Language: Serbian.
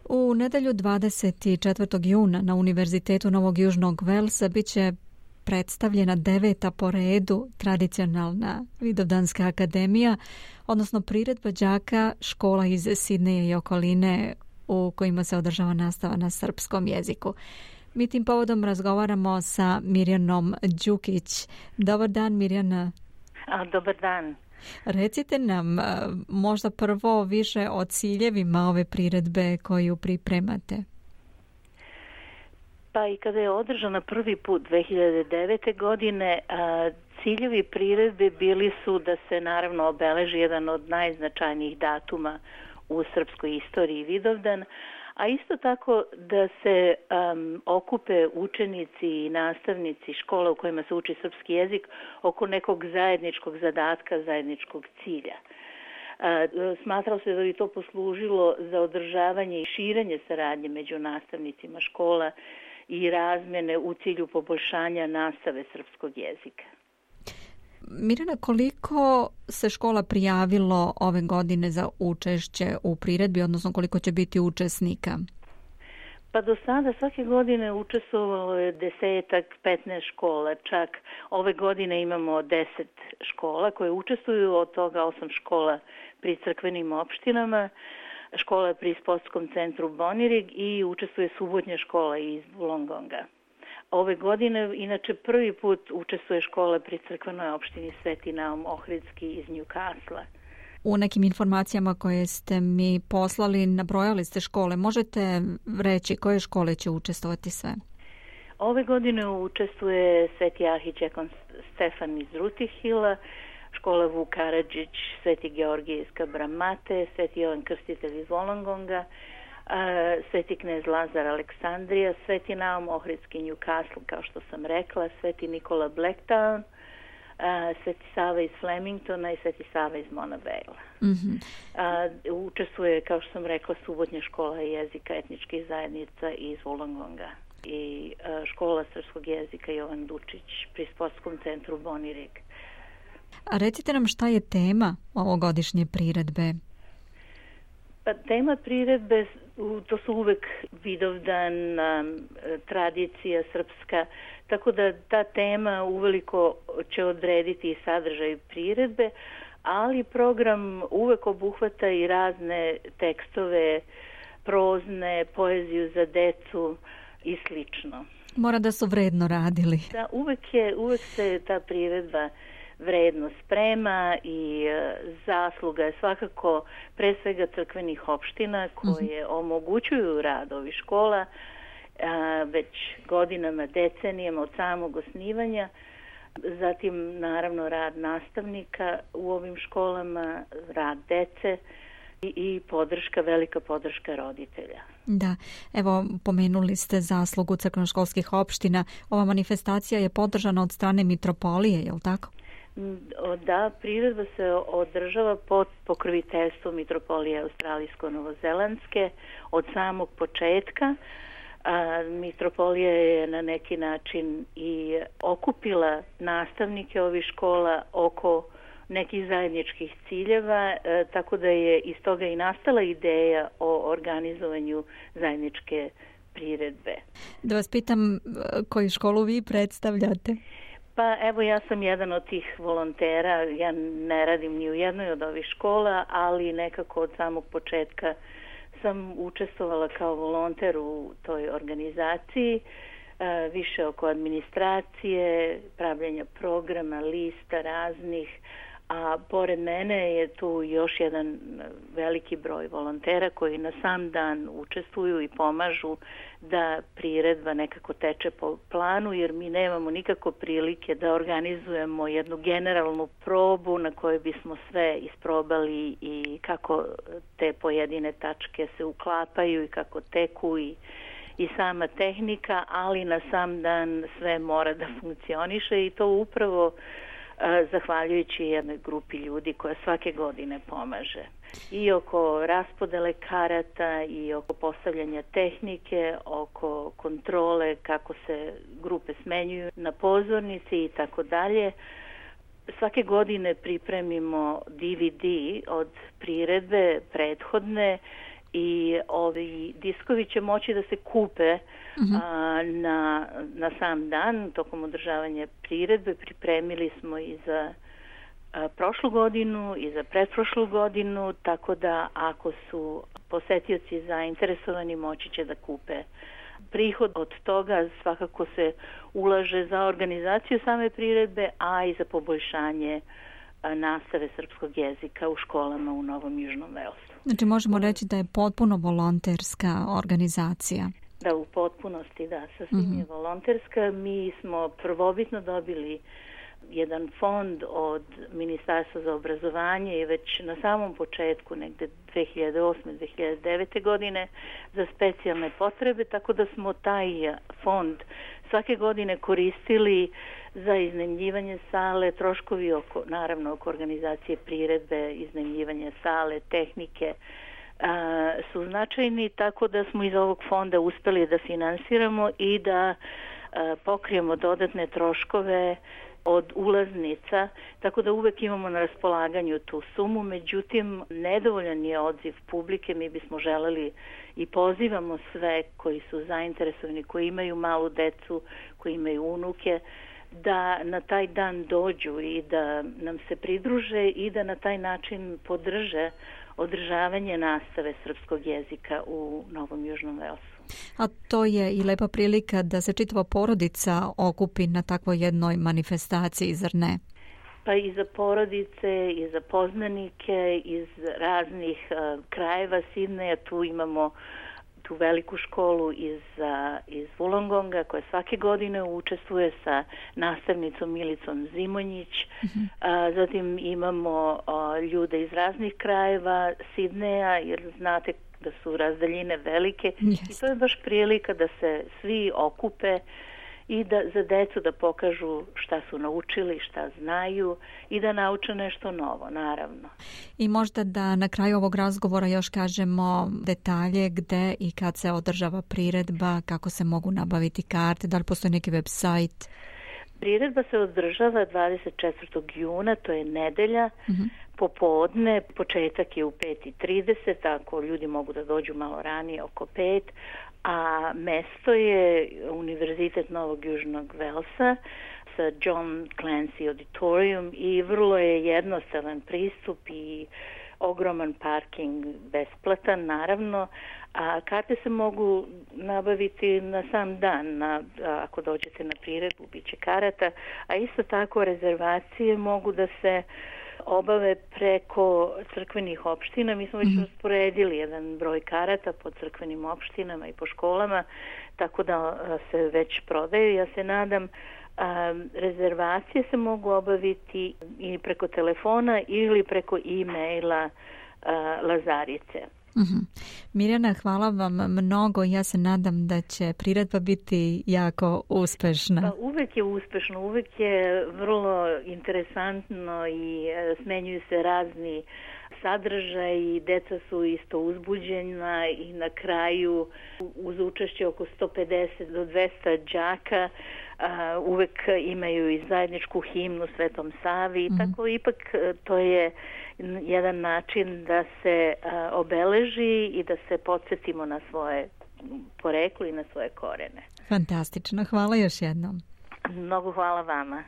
U nedelju 24. juna na Univerzitetu Novog Južnog Velsa bit će predstavljena 9. po redu tradicionalna Vidovdanska akademija, odnosno priredba đaka škola iz Sidneja i okoline u kojima se održava nastava na srpskom jeziku. Mi tim povodom razgovaramo sa Mirjanom Đukić. Dobar dan, Mirjana. Dobar dan. Recite nam možda prvo više o ciljevima ove priredbe koju pripremate. Pa i kada je održana prvi put 2009. godine, ciljevi priredbe bili su da se naravno obeleži jedan od najznačajnijih datuma u srpskoj istoriji Vidovdan, a isto tako da se okupe učenici i nastavnici škola u kojima se uči srpski jezik oko nekog zajedničkog zadatka, zajedničkog cilja. Smatralo se da bi to poslužilo za održavanje i širenje saradnje među nastavnicima škola i razmjene u cilju poboljšanja nastave srpskog jezika. Mirjana, koliko se škola prijavilo ove godine za učešće u priredbi, odnosno koliko će biti učesnika? Pa do sada svake godine učestvovalo je 10-15 škola, čak ove godine imamo 10 škola koje učestvuju, od toga 8 škola pri crkvenim opštinama, škola pri sportskom centru Bonirig i učestvuje subotnja škola iz Wollongonga. Ove godine, inače, prvi put učestvuje škola pri crkvenoj opštini Sveti Naum Ohridski iz Newcastle. U nekim informacijama koje ste mi poslali, nabrojali ste škole. Možete reći koje škole će učestvovati sve? Ove godine učestvuje Sveti Ahićekon Stefan iz Rutihila, škola Vuk Karadžić, Sveti Georgije iz Kabramate, Sveti Jovan Krstitelj iz Wollongonga, Sveti knez Lazar Aleksandrija, Sveti Naum Ohridski Newcastle, kao što sam rekla, Sveti Nikola Blacktown, Sveti Sava iz Flemingtona i Sveti Sava iz Mona Vale. Mm-hmm. Učestvuje, kao što sam rekla, subotnja škola jezika etničkih zajednica iz Wollongonga i škola srpskog jezika Jovan Dučić pri sportskom centru Bonirig. A recite nam šta je tema ovogodišnje priredbe? Pa tema priredbe, to su uvek Vidovdan, tradicija srpska, tako da ta tema uveliko će odrediti i sadržaj priredbe, ali program uvek obuhvata i razne tekstove, prozne, poeziju za decu i slično. Mora da su vredno radili. Da, uvek se ta priredba vredno sprema i zasluga je svakako pre svega crkvenih opština koje omogućuju rad ovih škola već godinama, decenijama od samog osnivanja. Zatim naravno rad nastavnika u ovim školama, rad dece i podrška, velika podrška roditelja. Da, evo pomenuli ste zaslugu crkvenoškolskih opština. Ova manifestacija je podržana od strane mitropolije, je li tako? Da, priredba se održava pod pokroviteljstvom mitropolije Australijsko-Novozelandske od samog početka. Mitropolija je na neki način i okupila nastavnike ovih škola oko nekih zajedničkih ciljeva, tako da je iz toga i nastala ideja o organizovanju zajedničke priredbe. Da vas pitam koju školu vi predstavljate? Pa evo, ja sam jedan od tih volontera, ja ne radim ni u jednoj od ovih škola, ali nekako od samog početka sam učestvovala kao volonter u toj organizaciji, više oko administracije, pravljenja programa, lista raznih, a pored mene je tu još jedan veliki broj volontera koji na sam dan učestvuju i pomažu da priredba nekako teče po planu, jer mi nemamo nikako prilike da organizujemo jednu generalnu probu na kojoj bismo sve isprobali i kako te pojedine tačke se uklapaju i kako teku i sama tehnika, ali na sam dan sve mora da funkcioniše i to upravo zahvaljujući jednoj grupi ljudi koja svake godine pomaže. I oko raspodele karata i oko postavljanja tehnike, oko kontrole kako se grupe smenjuju na pozornici i tako dalje. Svake godine pripremimo DVD od priredbe prethodne i ovi diskovi će moći da se kupe na sam dan tokom održavanja priredbe. Pripremili smo i za prošlu godinu i za pretprošlu godinu, tako da ako su posetioci zainteresovani moći će da kupe. Prihod od toga svakako se ulaže za organizaciju same priredbe, a i za poboljšanje nastave srpskog jezika u školama u Novom Južnom Velsu. Znači možemo reći da je potpuno volonterska organizacija. Da, u potpunosti, da, sasvim je volonterska. Mi smo prvobitno dobili jedan fond od Ministarstva za obrazovanje i već na samom početku, negde 2008-2009. godine, za specijalne potrebe, tako da smo taj fond svake godine koristili za iznajmljivanje sale, troškovi naravno oko organizacije priredbe, iznajmljivanje sale, tehnike, su značajni, tako da smo iz ovog fonda uspeli da finansiramo i da pokrijemo dodatne troškove od ulaznica, tako da uvek imamo na raspolaganju tu sumu. Međutim, nedovoljan je odziv publike. Mi bismo želeli i pozivamo sve koji su zainteresovani, koji imaju malu decu, koji imaju unuke, da na taj dan dođu i da nam se pridruže i da na taj način podrže održavanje nastave srpskog jezika u Novom Južnom Velsu. A to je i lepa prilika da se čitava porodica okupi na takvoj jednoj manifestaciji, zar ne? Pa i za porodice, i za poznanike, iz raznih krajeva Sidneja. Tu imamo tu veliku školu iz Wollongonga koja svake godine učestvuje sa nastavnicom Milicom Zimonjić. Zatim imamo ljude iz raznih krajeva Sidneja, jer znate da su razdaljine velike. I to je baš prilika da se svi okupe i da za decu da pokažu šta su naučili, šta znaju i da nauče nešto novo, naravno. I možda da na kraju ovog razgovora još kažemo detalje gde i kad se održava priredba, kako se mogu nabaviti karte, da li postoji neki web sajt? Priredba se održava 24. juna, to je nedelja, popodne, početak je u 5:30, ako ljudi mogu da dođu malo ranije, oko 5, a mesto je Univerzitet Novog Južnog Velsa sa John Clancy Auditorium i vrlo je jednostavan pristup i ogroman parking, besplatan naravno, a karte se mogu nabaviti na sam dan, ako dođete na priredbu, bit će karata, a isto tako rezervacije mogu da se obave preko crkvenih opština. Mi smo već rasporedili jedan broj karata po crkvenim opštinama i po školama, tako da se već prodaju. Ja se nadam, rezervacije se mogu obaviti i preko telefona ili preko e-maila Lazarice. Mirjana, hvala vam mnogo. Ja se nadam da će priredba biti jako uspešna. Pa uvek je uspešno, uvek je vrlo interesantno i smenjuju se razni sadržaj i deca su isto uzbuđena i na kraju uz učešće oko 150 do 200 đaka uvek imaju i zajedničku himnu Svetom Savi i tako ipak to je jedan način da se obeleži i da se podsjetimo na svoje poreklo i na svoje korene. Fantastično, hvala još jednom. Mnogo hvala vama.